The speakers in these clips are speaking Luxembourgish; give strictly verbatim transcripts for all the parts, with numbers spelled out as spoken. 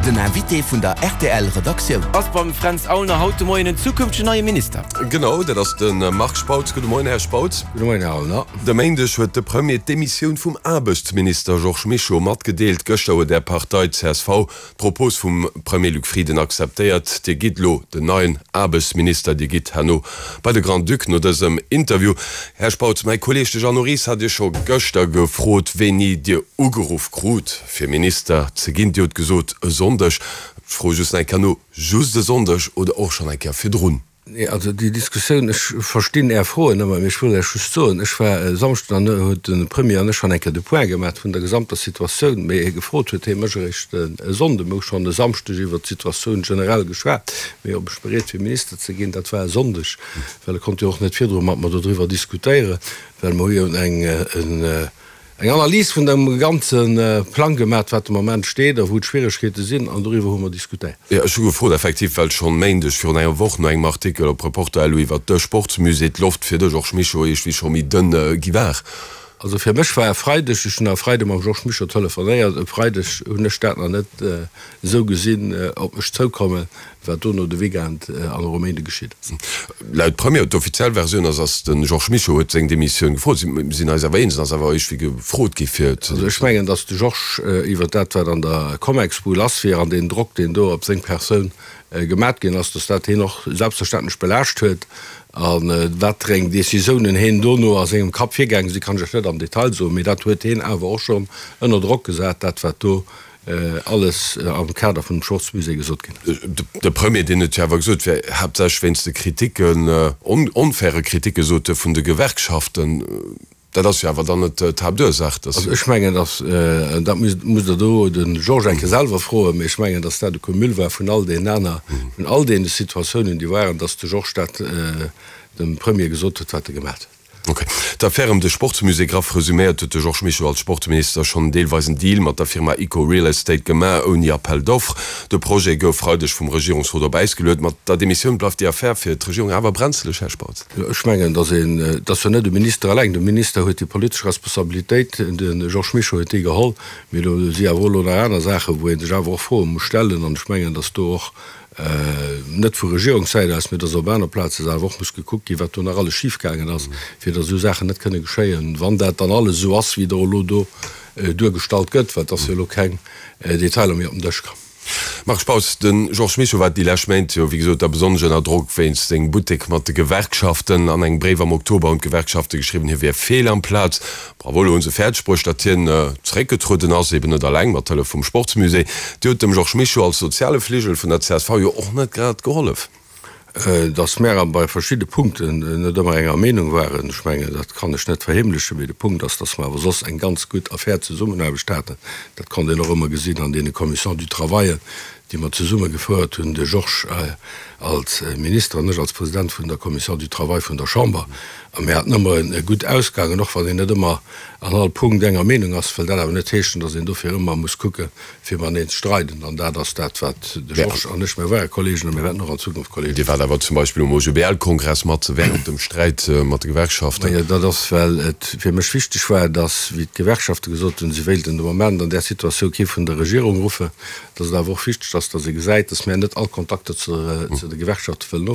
Den Invité vun der R T L Redaktioun. Ass beim Fränz Aulner haut de Moien en zukünftegen neie Minister. Genau, dat ass de Marc Spautz. Gudde Moien, Här Spautz. Gudde Moien, Här Aulner. De Méindeg huet de Premier d'Demissioun vum Aarbechtsminister Georges Mischo matgedeelt. Gëschter huet Är Partei C S V d'Propos vum Premier Luc Frieden akzeptéiert. Dir gitt elo den neien Aarbechtsminister, Dir gitt herno bei de Grand-Duc no dësem Interview. Här Spautz, mäi Kolleeg de Jeannot Ries hat Iech scho gëschter gefrot, wéini Dir ugeruff krut, fir Minister ze ginn. Dir hutt gesot, e Sonndeg. Ech froe just nach eng Kéier no, Just e Sonndeg oder och schonn eng Kéier virdrun? Nee, also déi Diskussioun, ech verstinn Är Froen ëmmer, mee ech wëll lech just soen, ech war e Samschden an huet de Premier an ech schonn eng Kéier de Point gemaach vun der gesamter Situatioun, mee gefrot huet hie mech eréischt e Sonnden. Mir hu schonn e Samschdeg iwwert d'Situatioun generell geschwat, mee ob ech bereet wier Minister ze ginn, dat war e Sonndeg, well e konnt jo och net virdru mat mer dodriwwer diskutéieren, well mer hu jo eng eng Analys vun dem ganze Plang gemaat, wat de Moment steet a wou d'Schwieregkeete sinn, an doriwwer hu mer diskutéiert. Jo, ech hu gefrot effektiv, well schonn Méindeg virun enger Woch no engem Artikel op Reporter punkt L U iwwert de Sportsmusée d'Loft fir de Georges Mischo iergendwéi scho méi dënn gi war. Also fir mech war e Freideg, ech hunn e Freide mam Georges Mischo telefonéiert, e Freideg hunn ech dat nach net esou gesinn op mech zoukommen, wat dono de Weekend an och e Méinde geschitt ass. Laut Premier, d'offiziell Versioun ass, ass de Georges Mischo huet seng Demissioun gefrot. Si sinn eis awer eens, en ass awer iergendwéi gefrot gi fir ze. Also ech mengen, datt de Georges iwwert dat, wat an der Comexbu lass wier an deen Drock, deen do op seng Persoun gemat ginn ass, datt dat hien och selbstverständlech belaascht huet. A wat fir eng Décisiounen hien dono a sengem Kapp virgaange sinn, kann ech lech net am Detail soen, mee dat huet hien awer och schonn ënner Drock gesat, dat wat do alles am Kader vun dem Schortzmusée gesot ginn ass. De Premier, deen huet jo awer gesot, et wär haaptsächlech wéinst de Kriticken, onfaire Kriticken, sot e, vun de Gewerkschaften. Dat ass jo awer dann net d'Haaptursaach, dass. Also ech mengen, dass, dat musst Der do de Georges eng Kéier selwer froen, mee ech mengen, dass dat e Cumul war vun all deenen aner, vun all deene Situatiounen, déi waren, dass de Georges dat dem Premier gesot huet, wat e gemaat huet. Ok. D'Affär ëm de Sportsmusée, graff resuméiert, huet de Georges Mischo als Sportminister schonn deelweis en Deal mat der Firma Ico Real Estate gemaach, ouni Appel d'offres. De Projet gouf Freideg vum Regierungsrot op Äis geluet. Mat der Demissioun bleift déi Affär fir d'Regierung awer brenzeleg, Här Spautz. Jo, ech mengen, datt een, et ass jo net de Minister eleng, de Minister huet déi politesch Responsabilitéit, de Georges Mischo huet déi geholl, mee do si awer och elo nach aner Saachen, wou ee sech awer och Froe muss stellen. An ech mengen, datt do och, net vu Regierungssäit aus, mee dass op aner Plaze awer och muss gekuckt ginn, wat do nach alles schifgaangen ass, fir dass esou Saachen net kënne geschéien, wann dat dann alles esou ass, wéi et och elo do duergestallt gëtt, well et ass jo elo keng Detailer méi op den Dësch komm. Marc Spautz, De Georges Mischo war déi lescht Méint jo wéi gesot da besonnesch ënner Drock wéinst sengem Buttek mat de Gewerkschaften. An engem Bréif am Oktober hunn d'Gewerkschafte geschriwwen, hie wier fehl am Plaz. Bravo, elo hu se fäerdeg bruecht, datt hien zeréckgetrueden ass, eben net alleng, mat Hëllef vum Sportsmusée. Dir hutt dem Georges Mischo als soziale Fligel vun der C S V jo och net grad gehollef. Datt mär bei verschidde Punkten net ëmmer enger Meenung waren, ech mengen, dat kann ech net verheemlechen, mee de Punkt ass, datt mer awer soss eng ganz gutt a fair Zesummenaarbecht haten. Dat konnt een och ëmmer gesinn an deene Commissions du travail, déi mer zesumme gefouert hunn, de Georges als Minister an ech als President vun der Commission du Travail vun der Chamber. A mir haten ëmmer e gutt Ausgang, an och wann een net ëmmer an all Punkt enger Meenung ass, wëll dat awer net heeschen, datt een dofir ëmmer muss kucke fir mateneen ze streiden. An dat ass dat, wat de Georges an ech, mir ware Kollegen a mir wäerten och an Zukunft Kollegen Dir waart awer zum Beispill um O G B L-Kongress mat während dem Sträit mat de Gewerkschaften. Majo, dat ass, well et fir mech wichteg war, datt, wéi d'Gewerkschafte gesot hunn, si wéilten de Moment an där Situatioun kee vun der Regierung ruffen, datt et awer och wichteg ass, datt ee gesäit, datt mär net all Kontakter zu de Gewerkschafte wëllen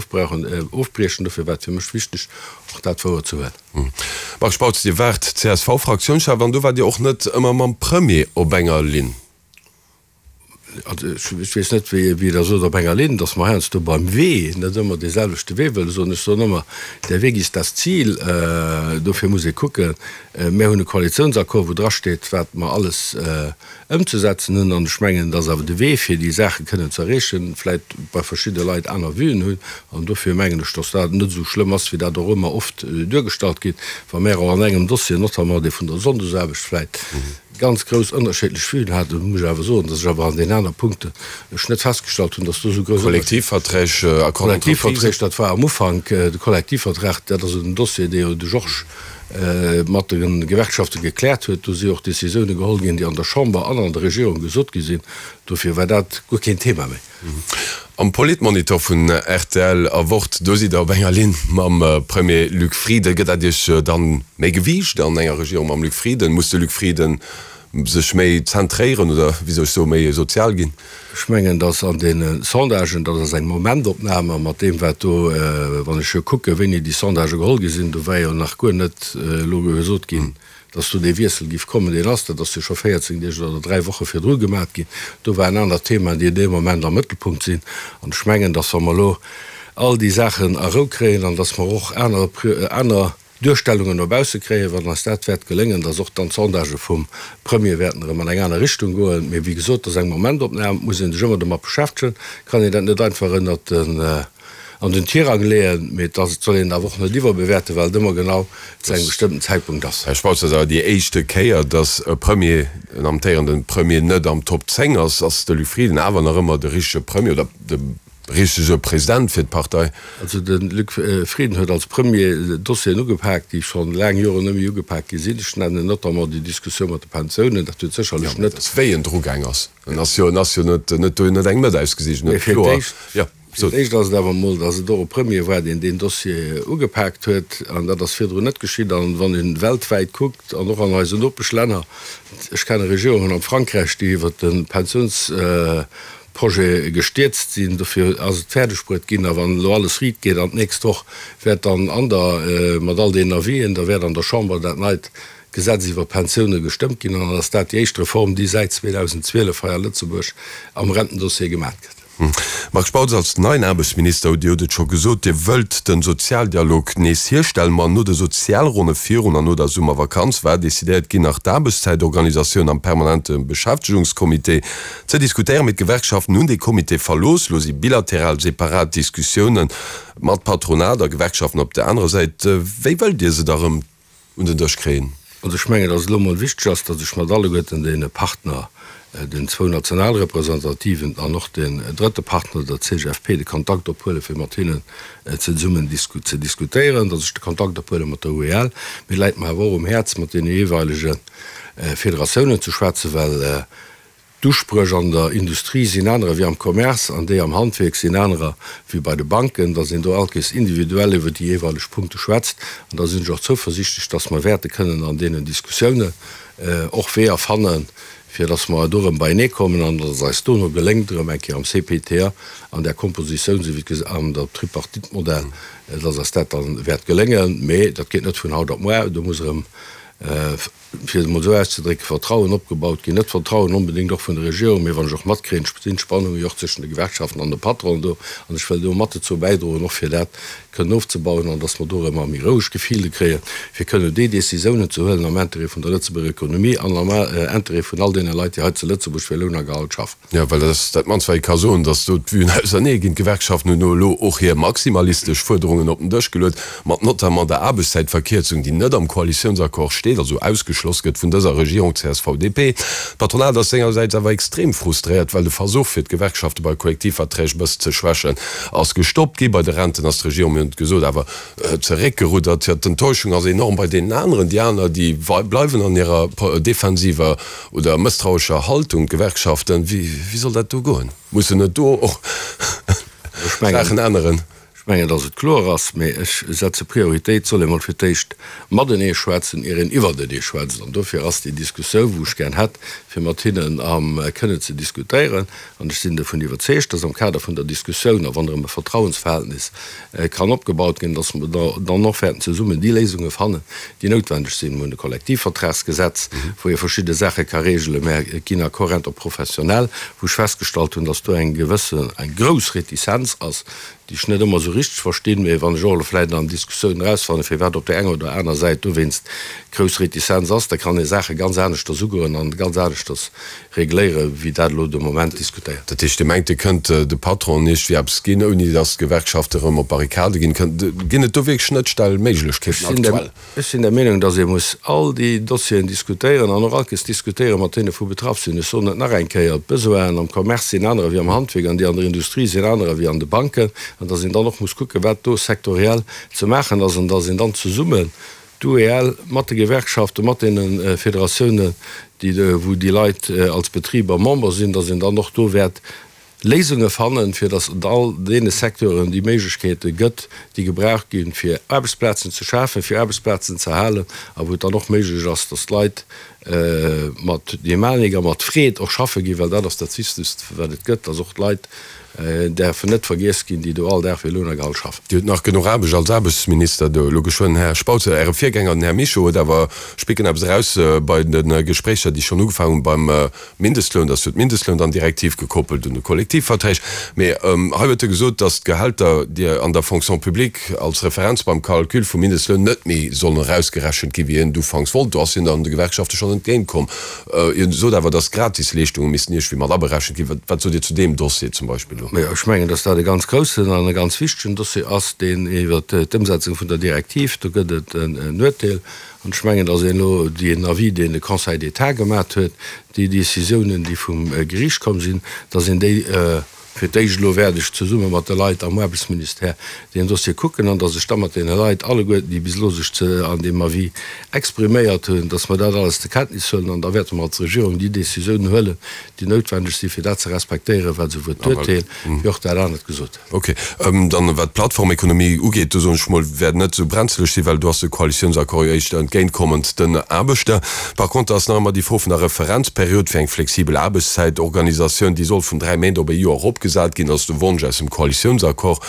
ofbriechen. Dofir war et fir mech wichteg, och dat wouer ze huelen. Marc Spautz, Dir waart C S V-Fraktiounschef an do waart Dir och net ëmmer mam Premier op enger Linn. Also ech weess net, wéi Der sot, op enger Linn, datt mer heiansdo beim Wee net ëmmer dee selwechte Wee wëlle soen. Ech soen ëmmer, Der Weg ist das Ziel. Dofir muss ee kucken. Mär hunn e Koalitiounsaccord, wou drasteet, wat mer alles ëmzesetzen hunn. An ech mengen, dass awer de Wee, fir déi Saache kënnen ze erreechen, vläicht bei verschidde Leit aner Vuen hunn. An dofir mengen ech, dass dat net esou schlëmm ass, wéi dat och ëmmer oft duergestallt gétt, wa mär och an engem Dossier, notamment dee vun der Sonndesaarbecht, vläicht ganz grouss ënnerscheedlech Vuen haten. Muss ech awer soen, dass ech awer an deenen aner Punkten ech net festgestallt hunn, dass do esou grouss Ënnerscheeder. Kollektivverträg, Accord d'entreprise. Kollektivverträg, dat war am Ufank de Kollektivvertrag, dat ass en Dossier, dee jo de Georges mat de Gewerkschafte gekläert huet. Do si och Décisioune geholl ginn, déi an der Chamber an an der Regierung gesot gi sinn. Dofir war dat guer keen Thema méi. Am Politmonitor vun R T L a Wort, do sidd Der op enger Linn mam Premier Luc Frieden. Gëtt dat Iech dann méi Gewiicht an enger Regierung mam Luc Frieden? Muss de Luc Frieden sech méi zentréieren oder, wéi soll ech soen, méi sozial ginn? Ech mengen, dass an deene Sondagen, dat ass eng Momentopnam, a mat deem wat do, wann ech jo kucken, wéini déi Sondagë geholl gi sinn, do war jo nach guer net elo gesot ginn, dass do dee Wiessel géif kommen, deen ass, dat ass jo scho véierzéng Deeg oder dräi Woche virdru gemat ginn, do waren aner Themaen, déi dee Moment am Mëttelpunkt sinn. An ech mengen, dass wa mer elo all déi Saachen a Rou kréien an dass mer och aner, aner Duerstellungen no bausse kréien, wann eis dat wäert geléngen, dass och dann d'Sondagë vum Premier wäerten erëm an eng aner Richtung goen. Mee wéi gesot, dat ass eng Momentopnam, et muss ee sech ëmmer domat beschäftegen, et kann een dat net einfach ënnert den, an den Tirang leeën, mee et ass, et soll een et awer och net iwwerbewäerten, well et ëmmer genau zu engem bestëmmten Zäitpunkt ass. Här Spautz, dat ass awer déi éischte Kéier, dass e Premier, en amtéierende Premier net am Top zéng ass. Ass de Luc Frieden awer nach ëmmer de richtege Premier oder de Richtege President fir d'Partei. Also de Luc Frieden huet als Premier Dossieren ugepaakt, déi scho laang Joren net méi ugepaakt gi sinn. Ech nennen notamment déi Diskussioun mat de Pensiounen. Dat huet sécherlech net. Jo, wéi en drugaang ass. En ass jo, en ass jo net, net do, en huet eng net ausgesicht, en huet kloer. Mee fir d'éischt ass et awer emol, datt et och e Premier war, deen deen Dossier ugepaakt huet. An dat ass virdrun net geschitt. An wann ee weltwäit kuckt an och an eisen Nopeschlänner, ech kenne Regierungen am Frankräich, déi iwwert de Pensiouns. Projet gestierzt sinn. Dofir ass et fäerdeg bruet ginn. A wann elo alles riit geet an d'nächst Woch wäert dann an der, mat all deenen Avisen, da wäert an der Chamber dat neit Gesetz iwwer d'Pensioune gestëmmt ginn. An dann ass dat déi éischt Reform, déi säit zweedausendzwielef hei a Lëtzebuerg am Rentendossier gemat gëtt. Marc Spautz, als neien Aarbechtsminister hutt Dir hutt et scho gesot, Dir wëllt de Sozialdialog nees hierstellen. Ma no de Sozialronne virun an no der Summervakanz war decidéiert ginn, nach d'Aarbechtszäitorganisatioun am permanente Beschäftegungscomité ze diskutéieren. Mee d'Gewerkschaften hunn dee Comité verlooss. Elo si bilateral separat Diskussioune mat Patronat a Gewerkschaften op der anerer Säit. Wéi wëllt Dir se da rëm un den Dësch kréien? Also ech mengen, datt et elo emol wichteg ass, datt ech mat alleguerten deene Partner, den zwou Nationalrepresentativen an och den drëtte Partner, der C G F P, de Kontakt ophuelen, fir mat hinnen zesummen ze diskutéieren, datt ech de Kontakt ophuele mat der U E L. Mee et läit mer awer och um Häerz, mat deene jeeweilege Federatiounen ze schwätzen, well d'Uspréch an der Industrie sinn anerer wéi am Commerce an déi am Handwierk sinn anerer wéi bei de Banken, datt een do allkéiers individuell iwwer déi jeeweileg Punkte schwätzt. An da sinn ech och zouversichtlech, datt mer wäerte kënnen an deenen Diskussiounen och Weeër fannen, fir datt mer do erëm beienee kommen an datt et eis dono geléngt, erëm eng Kéier am C P T A an där Kompositioun, esou wéi et an der Tripartite-Modell, datt eis dat da wäert geléngen. Mee dat geet net vun haut op muer. Do muss erëm, fir et emol esou auszedrécken, Vertrauen opgebaut ginn. Net Vertrauen onbedéngt och vun der Regierung, mee wann ech och matkréien, sinn d'Spannunge jo och zwëschen de Gewerkschaften an de Patronen do. An ech wëll do mat dozou bäidroen, och fir dat kënnen ofzebauen an datt mer do erëm a méi roueg Gefilde kréien, fir kënnen déi Décisiounen ze huelen am Intérêt vun der Lëtzebuerger Ekonomie an am Intérêt vun all deene Leit, déi hei zu Lëtzebuerg fir Loun a Gehalt schaffen. Jo, well dat ass dat mannst, wat ee ka soen, datt do d'Vuen ausernee ginn. D'Gewerkschaften hunn elo och hir maximalistesch Fuerderungen op den Dësch geluet, mat notamment der Aarbechtszäitverkierzung, déi net am Koalitiounsaccord steet, also ausgeschloss gëtt vun dëser Regierung C S V D P. D'Patronat ass sengersäits awer extrem frustréiert, well de Versuch fir d'Gewerkschafte bei Kollektivverträg e bëssen ze schwächen, ass gestoppt gi. Bei de Renten ass d'Regierung, mir hunn et gesot, awer zeréckgeruddert. Jo, d'Enttäuschung ass enorm bei deenen aneren. Déi aner, déi bleiwen an hirer defensiver oder mësstrauescher Haltung, d'Gewerkschaften. Wéi, wéi soll dat do goen? Mussen net do och Saachen änneren? Ech mengen, dass et kloer ass, mee ech setze Prioritéit, soll ee mol fir d'éischt matenee schwätzen, ier een iwwertenee schwätzt. An dofir ass déi Diskussioun, wou ech gär hätt, fir mat hinnen am kënnen ze diskutéieren, an ech sinn dovun iwwerzeegt, dass am Kader vun der Diskussioun a wann erëm e Vertrauensverhältnis kann opgebaut ginn, dass mer dann och wäerten zesummen déi Léisunge fannen, déi noutwendeg sinn. Mir hunn e Kollektivvertragsgesetz, wou ee verschidde Saache ka regelen, mä et ginn Accords interprofessionnels, wou ech festgestallt hunn, dass do eng gewëssen, eng grouss Retizenz ass, déi ech net ëmmer esou richteg verstinn, mee wann ech och elo vläicht an Diskussiounen erausfannen, firwat op där enger oder aner Säit dowéinst grouss Retizenz ass, da kann ee Saache ganz aneschters ugoen an ganz aneschters regléieren, wéi dat elo de Moment diskutéiert. Dat heescht, Dir mengt, Dir kënnt de Patronen iergendwéi eppes ginn, ouni datt d'Gewerkschafte erëm op d'Barrikade ginn? Ginn et do wierklech Schnëttstellméiglechkeeten aktuell? Ech sinn der Meenung, datt ee muss all déi Dossieren diskutéieren an och allkéiers diskutéiere mat deene wou betraff sinn. Ech soen et nach eng Kéier, D'Besoinen am Commerce sinn anerer wéi am Handwierk an déi an der Industrie sinn anerer wéi an de Banken, an datt een dann och muss kucken, wat do sektoriell ze maachen ass an datt een dann zesummen, d'U E L mat de Gewerkschaften, mat deene Federatiounen, déi, wou déi Leit als Betriber Member sinn, datt een dann och do wäert Léisunge fannen, fir datt et all deene Secteuren déi Méiglechkeete gëtt, déi gebraucht ginn, fir Aarbechtsplazen ze schafen, fir Aarbechtsplazen ze halen a wou et dann och méiglech ass, datt d'Leit mat Dynamik a mat Freed och schaffe ginn, well dat ass dat Wichtegst, wat et gëtt, dass och d'Leit däerfen net vergiess ginn, déi do all Dag fir Lohn a Gehalt schaffen. Dir hutt nach genuch Aarbecht als Aarbechtsminister do elo geschwënn, Här Spautz. Äre Virgänger, den Här Mischo, huet awer, ech picken eppes eraus, bei de Gespréicher, déi schonn ugefaangen hunn beim Mindestloun, dass jo d'Mindestloun-dann-Direktiv gekoppelt un de Kollektivverträg, mee hei huet e gesot, dass d'Gehälter, déi an der Fonction publique als Referenz beim Calcul vum Mindestloun net méi sollen erausgerechent ginn, wéi hien et ufanks wollt. Do ass hien dann de Gewerkschafte schonn entgéintkomm. Hien sot awer, dass d'Gratisleeschtunge missten iergendwéi mat aberechent ginn. Wat sot Dir zu deem Dossier zum Beispill elo? Majo, ech mengen, dass dat e ganz groussen an e ganz wichtegen Dossier ass, deen iwwert d'Ëmsetzung vun der Direktiv, do gëtt et en Urteel. An ech mengen, dass een elo deen Avis, deen de Conseil d'État gemat huet, déi Décisiounen, déi vum Geriicht komm sinn, dass een déi fir d'éischt elo wäert ech zesumme mat de Leit am Aarbechtsministère deen Dossier kucken an dass ech da mat deene Leit alleguerten, déi bis elo sech an deem Avis expriméiert hunn, dass mer dat alles zur Kenntnis huelen an da wäerte mer als Regierung déi Décisiounen huelen, déi noutwendeg sinn, fir dat ze respektéieren, wat esouwuel d'Urteel wéi och dat anert gesot huet. Ok. Dann, wat d'Plattformekonomie ugeet, do soen ech mol, wäert net esou brenzeleg sinn, well do ass de Koalitiounsaccord jo éischter entgéintkommend den Aarbechter. Par contre ass nach ëmmer déi Fro vun der Referenzperiod fir eng flexibel Aarbechtszäitorganisatioun, déi soll vun dräi Méint op e Joer eropgesat ginn. Dat ass de Wonsch aus dem Koalitiounsaccord.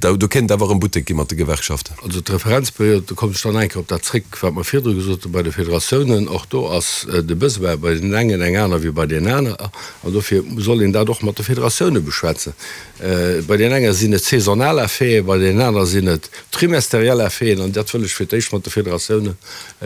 Do kéint et awer erëm Buttek gi mat de Gewerkschaften. Also d'Referenzperiod, do kommen ech dann eng Kéier op dat zréck, wat mer virdru gesot hu bei de Federatiounen, och do ass de Besoin bei deenen engen eng aner wéi bei deenen aner. An dofir soll een dat och mat de Federatioune beschwätzen. Bei deenen enge sinn et saisonal Effeten, bei deenen aner sinn et trimesteriell Effeten. An dat wëll ech fir d'éischt mat de Federatiounen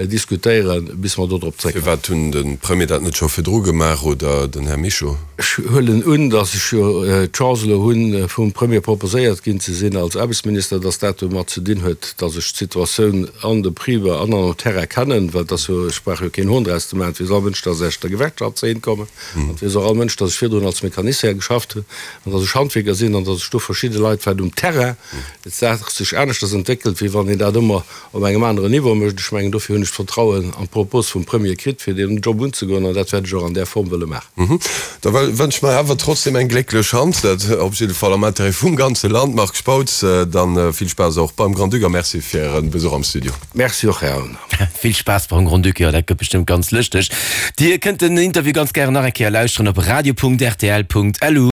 diskutéieren, bis mer do drop zréckkommen. Firwat hunn de Premier dat net scho virdru gemaach oder den Här Mischo? Ech huelen un, datt ech jo d'Chance elo hunn, vum Premier proposéiert ginn ze sinn als Aarbechtsminister, datt dat domat ze dinn huet, datt ech d'Situatioun an de Betriber an am Terrain kennen, well et ass jo, ech brauch jo keen Hohn draus ze maachen, et weess all Mënsch, datt ech der Gewerkschaft ze eent kommen an et weess och all Mënsch, datt ech virdrun als Mecanicien geschafft hunn an datt ech Handwierker sinn an datt ech do verschidde Leit, wat um Terrain d'Saach sech aneschters entwéckelt, wéi wann een dat ëmmer op engem aneren Niveau mécht. Ech mengen, dofir hunn ech d'Vertrauen an d'Propos vum Premier kritt, fir deen Job unzegoen an dat wäert ech och an där Form wëlle maachen. Da wënsche mer awer trotzdem eng glécklech Hand, dat op jidde Fall am Intérêt vum ganze Land. Marc Spautz, dann vill Spaass och beim Grand-Duc a Merci fir Äre Besuch am Studio. Merci och, Här Aulner. Vill Spaass beim Grand-Duc, jo dat gëtt bestëmmt ganz lëschteg. Dir kënnt den Interview ganz gären nach eng Kéier lauschteren op radio.rtl.lu.